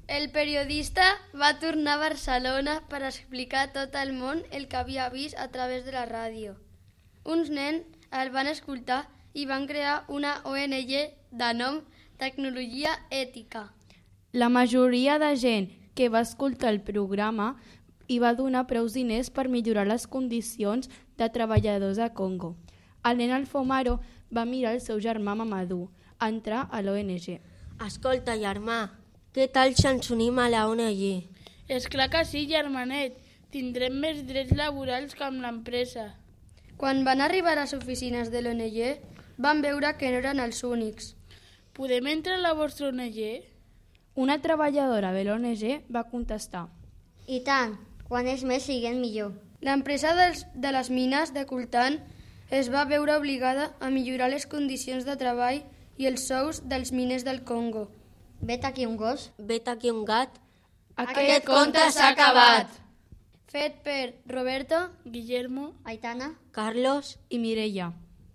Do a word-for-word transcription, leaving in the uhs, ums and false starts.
El periodista va tornar a Barcelona per explicar a tot el món el que havia vist a través de la ràdio. Uns nens el van escoltar i van crear una O N G de nom Tecnologia Ètica. La majoria de gent que va escoltar el programa hi va donar prou diners per millorar les condicions de treballadors a Congo. El nen Alfomaro va mirar el seu germà Mamadou entrar a l'O N G. Escolta, germà, què tal si ens unim a la O N G? És clar que sí, germanet. Tindrem més drets laborals que amb l'empresa. Quan van arribar a les oficines de l'O N G, van veure que no eren els únics. Podem entrar a la vostra O N G? Una treballadora de l'O N G va contestar. I tant, quan és més siguem millor. L'empresa dels, de les mines de coltan es va veure obligada a millorar les condicions de treball i els sous dels miners del Congo. Vet aquí un gos. Vet aquí un gat. Aquest conte s'ha acabat. Fet per Roberto, Guillermo, Aitana. Carlos I Mireia.